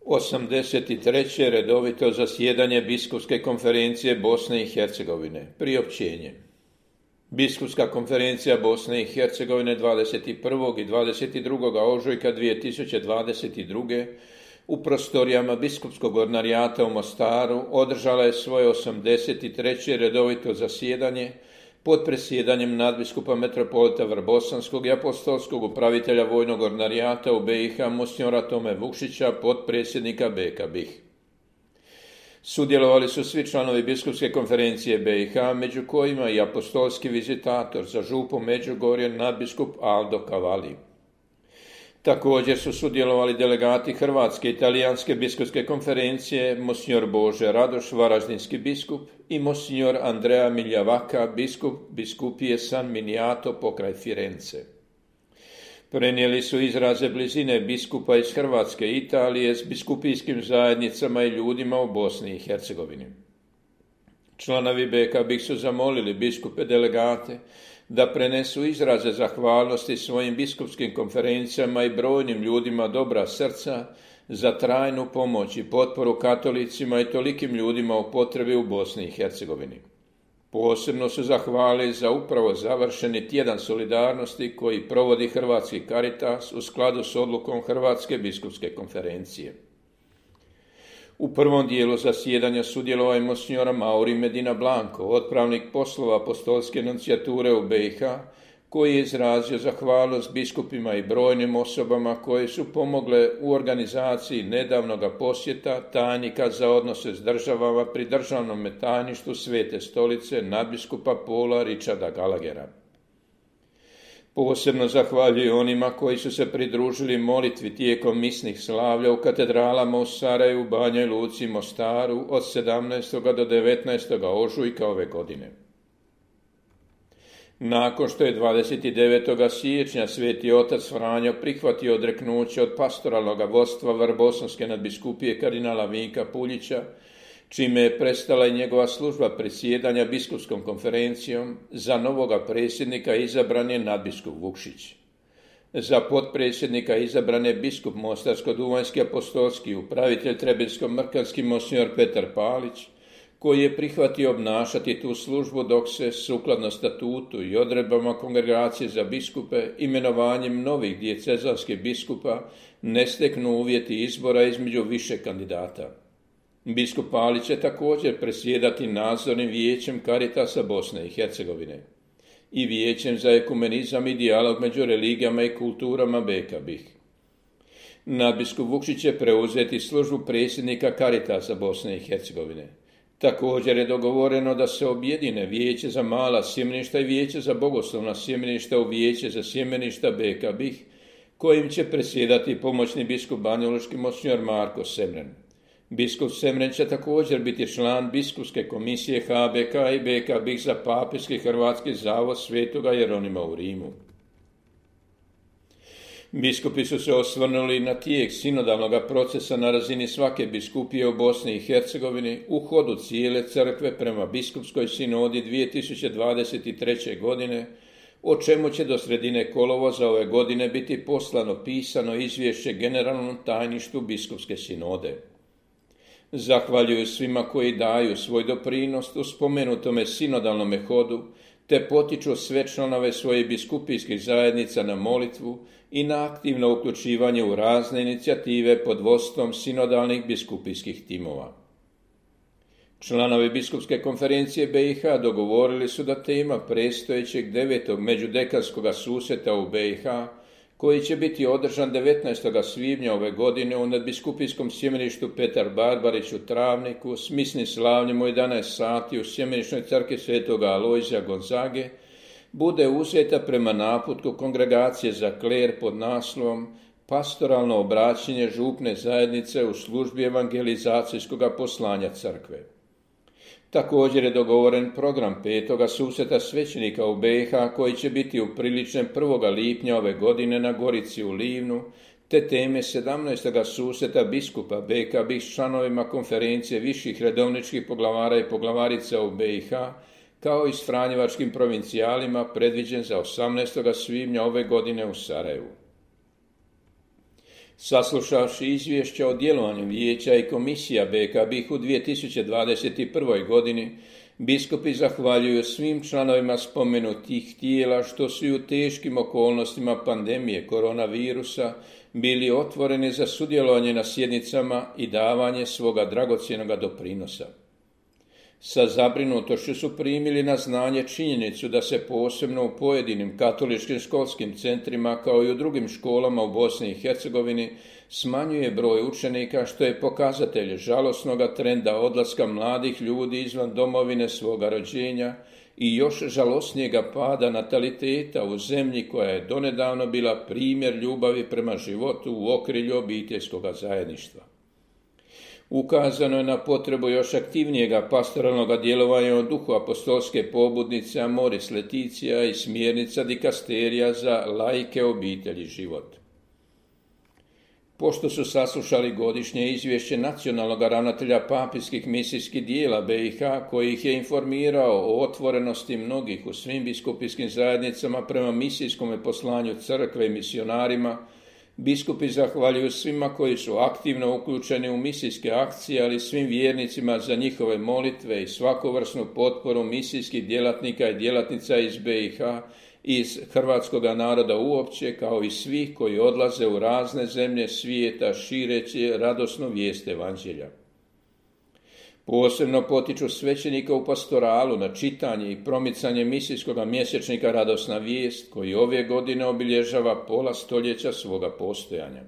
83. redovito zasjedanje Biskupske konferencije Bosne i Hercegovine. Priopćenje. Biskupska konferencija Bosne i Hercegovine 21. i 22. ožujka 2022. u prostorijama Biskupskog ordinarijata u Mostaru održala je svoje 83. redovito zasjedanje pod presjedanjem nadbiskupa metropolita Vrbosanskog i apostolskog upravitelja vojnog ordinarijata u BiH monsignora Tome Vukšića, potpredsjednika BK BiH. Sudjelovali su svi članovi Biskupske konferencije BiH, među kojima i apostolski vizitator za župu Međugorje nadbiskup Aldo Cavalli. Također su sudjelovali delegati Hrvatske i Talijanske biskupske konferencije, monsignor Bože Radoš, varaždinski biskup, i monsignor Andrea Miljavaka, biskup biskupije San Miniato pokraj Firence. Prenijeli su izraze blizine biskupa iz Hrvatske i Italije s biskupijskim zajednicama i ljudima u Bosni i Hercegovini. Članovi BK BiH su zamolili biskupe delegate da prenesu izraze zahvalnosti svojim biskupskim konferencijama i brojnim ljudima dobra srca za trajnu pomoć i potporu katolicima i tolikim ljudima u potrebi u Bosni i Hercegovini. Posebno su zahvalili za upravo završeni tjedan solidarnosti koji provodi Hrvatski Caritas u skladu s odlukom Hrvatske biskupske konferencije. U prvom dijelu zasjedanja sudjelovao je monsignor Mauri Medina Blanco, otpravnik poslova apostolske nuncijature u BiH, koji je izrazio zahvalnost biskupima i brojnim osobama koje su pomogle u organizaciji nedavnog posjeta tajnika za odnose s državama pri državnom tajništvu Svete stolice nadbiskupa Paula Richarda Gallaghera. Posebno zahvaljuju onima koji su se pridružili molitvi tijekom misnih slavlja u katedralama u Sarajevu, Banjoj Luci i Mostaru od 17. do 19. ožujka ove godine. Nakon što je 29. siječnja Sveti otac Franjo prihvatio odreknuće od pastoralnog vodstva Vrbosanske nadbiskupije kardinala Vinka Puljića, čime je prestala i njegova služba predsjedanja biskupskom konferencijom, za novoga predsjednika izabran je nadbiskup Vukšić. Za potpredsjednika izabran je biskup Mostarsko-duvanjski apostolski upravitelj Trebinsko-mrkanski monsignor Petar Palić, koji je prihvatio obnašati tu službu dok se, sukladno statutu i odredbama Kongregacije za biskupe, imenovanjem novih dijecezanskih biskupa ne steknu uvjeti izbora između više kandidata. Biskup Palić će također predsjedati nadzornim vijećem Caritasa Bosne i Hercegovine i vijećem za ekumenizam i dijalog među religijama i kulturama BK BiH. Nadbiskup Vukšić će preuzeti službu predsjednika Caritasa Bosne i Hercegovine. Također je dogovoreno da se objedine vijeće za mala sjemeništa i vijeće za bogoslovna sjemeništa u vijeće za sjemeništa BK BiH, kojim će predsjedati pomoćni biskup banjalučki monsignor Marko Semren. Biskup Semren će također biti član biskupske komisije HBK i BK BiH za papirski hrvatski zavod Svetoga Jeronima u Rimu. Biskupi su se osvrnuli na tijek sinodalnog procesa na razini svake biskupije u Bosni i Hercegovini u hodu cijele crkve prema biskupskoj sinodi 2023. godine, o čemu će do sredine kolovoza ove godine biti poslano pisano izvješće generalnom tajništvu biskupske sinode. Zahvaljuju svima koji daju svoj doprinos u spomenutome sinodalnome hodu, te potiču sve članove svojih biskupijskih zajednica na molitvu i na aktivno uključivanje u razne inicijative pod vodstvom sinodalnih biskupijskih timova. Članovi Biskupske konferencije BiH dogovorili su da tema predstojećeg 9. međudekanskog susreta u BiH, koji će biti održan 19. svibnja ove godine u nadbiskupijskom sjemeništu Petar Barbarić u Travniku s misnim slavljem u 11 sati u sjemeničnoj crkvi Svetoga Alojzija Gonzage, bude uzeta prema naputku Kongregacije za kler pod naslovom Pastoralno obraćanje župne zajednice u službi evangelizacijskog poslanja crkve. Također je dogovoren program 5. susreta svećenika u BiH koji će biti upriličen 1. lipnja ove godine na Gorici u Livnu, te teme 17. susreta biskupa BK BiH s članovima konferencije viših redovničkih poglavara i poglavarica u BiH, kao i s franjevačkim provincijalima predviđen za 18. svibnja ove godine u Sarajevu. Saslušavši izvješća o djelovanju vijeća i komisija BK BiH u 2021. godini, biskupi zahvaljuju svim članovima spomenutih tijela što su i u teškim okolnostima pandemije koronavirusa bili otvoreni za sudjelovanje na sjednicama i davanje svoga dragocjenog doprinosa. Sa zabrinutošću su primili na znanje činjenicu da se posebno u pojedinim katoličkim školskim centrima kao i u drugim školama u Bosni i Hercegovini smanjuje broj učenika, što je pokazatelj žalosnog trenda odlaska mladih ljudi izvan domovine svoga rođenja i još žalosnijega pada nataliteta u zemlji koja je donedavno bila primjer ljubavi prema životu u okrilju obiteljskog zajedništva. Ukazano je na potrebu još aktivnijega pastoralnog djelovanja u duhu apostolske pobudnice Amoris Laetitia i smjernica dikasterija za laike, obitelj i život. Pošto su saslušali godišnje izvješće nacionalnog ravnatelja papijskih misijskih dijela BiH, koji ih je informirao o otvorenosti mnogih u svim biskupijskim zajednicama prema misijskom poslanju crkve i misionarima, biskupi zahvaljuju svima koji su aktivno uključeni u misijske akcije, ali svim vjernicima za njihove molitve i svakovrsnu potporu misijskih djelatnika i djelatnica iz BiH i iz hrvatskog naroda uopće, kao i svih koji odlaze u razne zemlje svijeta šireći radosnu vijest evanđelja. Posebno potiču svećenika u pastoralu na čitanje i promicanje misijskog mjesečnika Radosna vijest, koji ove godine obilježava pola stoljeća svoga postojanja.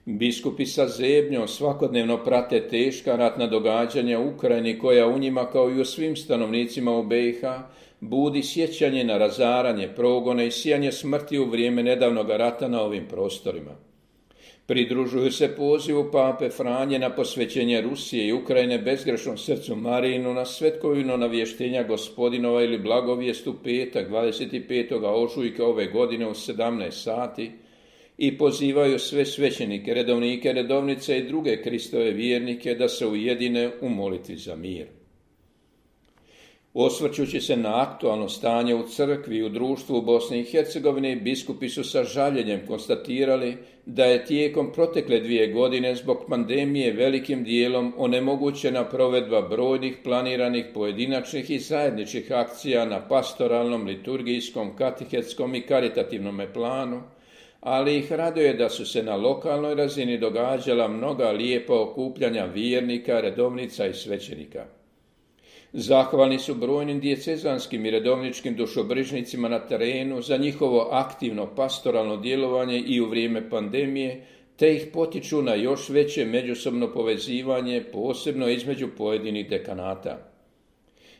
Biskupi sa zebnjom svakodnevno prate teška ratna događanja u Ukrajini, koja u njima kao i u svim stanovnicima u BiH budi sjećanje na razaranje, progone i sijanje smrti u vrijeme nedavnog rata na ovim prostorima. Pridružuju se pozivu pape Franje na posvećenje Rusije i Ukrajine bezgrešnom srcu Marijinu na svetkovino navještenja Gospodinova ili blagovijest u petak 25. ožujka ove godine u 17 sati i pozivaju sve svećenike, redovnike, redovnice i druge Kristove vjernike da se ujedine u molitvi za mir. Osvrćući se na aktualno stanje u crkvi i u društvu u Bosni i Hercegovini, biskupi su sa žaljenjem konstatirali da je tijekom protekle 2 godine zbog pandemije velikim dijelom onemogućena provedba brojnih planiranih pojedinačnih i zajedničkih akcija na pastoralnom, liturgijskom, katehetskom i karitativnom planu, ali ih raduje da su se na lokalnoj razini događala mnoga lijepa okupljanja vjernika, redovnica i svećenika. Zahvalni su brojnim diecezanskim i redovničkim dušobrižnicima na terenu za njihovo aktivno pastoralno djelovanje i u vrijeme pandemije, te ih potiču na još veće međusobno povezivanje, posebno između pojedinih dekanata.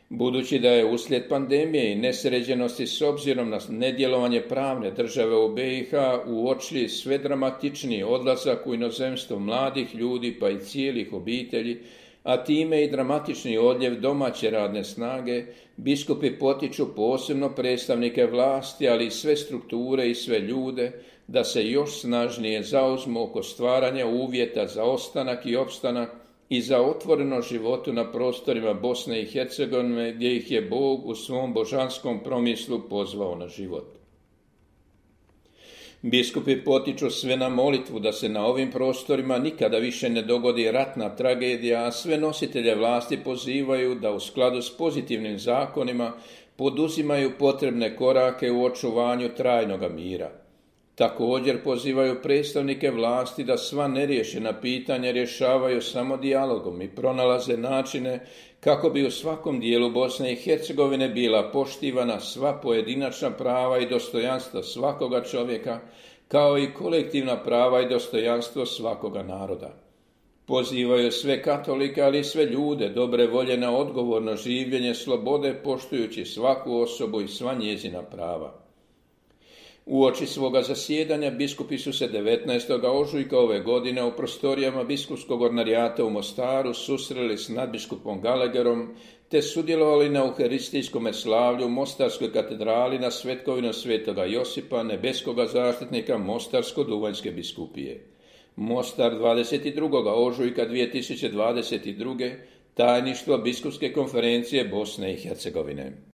Budući da je uslijed pandemije i nesređenosti s obzirom na nedjelovanje pravne države u BiH uočili sve dramatičniji odlazak u inozemstvo mladih ljudi pa i cijelih obitelji, a time i dramatični odljev domaće radne snage, biskupi potiču posebno predstavnike vlasti, ali i sve strukture i sve ljude, da se još snažnije zauzmu oko stvaranja uvjeta za ostanak i opstanak i za otvoreno životu na prostorima Bosne i Hercegovine, gdje ih je Bog u svom božanskom promislu pozvao na život. Biskupi potiču sve na molitvu da se na ovim prostorima nikada više ne dogodi ratna tragedija, a sve nositelje vlasti pozivaju da u skladu s pozitivnim zakonima poduzimaju potrebne korake u očuvanju trajnog mira. Također pozivaju predstavnike vlasti da sva neriješena pitanja rješavaju samo dijalogom i pronalaze načine kako bi u svakom dijelu Bosne i Hercegovine bila poštivana sva pojedinačna prava i dostojanstvo svakoga čovjeka, kao i kolektivna prava i dostojanstvo svakoga naroda. Pozivaju sve katolike, ali i sve ljude dobre volje na odgovorno življenje slobode, poštujući svaku osobu i sva njezina prava. Uoči svoga zasjedanja biskupi su se 19. ožujka ove godine u prostorijama biskupskog ordinarijata u Mostaru susreli s nadbiskupom Gallagherom te sudjelovali na euharistijskom slavlju u Mostarskoj katedrali na svetkovinu svetoga Josipa, nebeskoga zaštitnika Mostarsko-duvanjske biskupije. Mostar 22. ožujka 2022. Tajništvo biskupske konferencije Bosne i Hercegovine.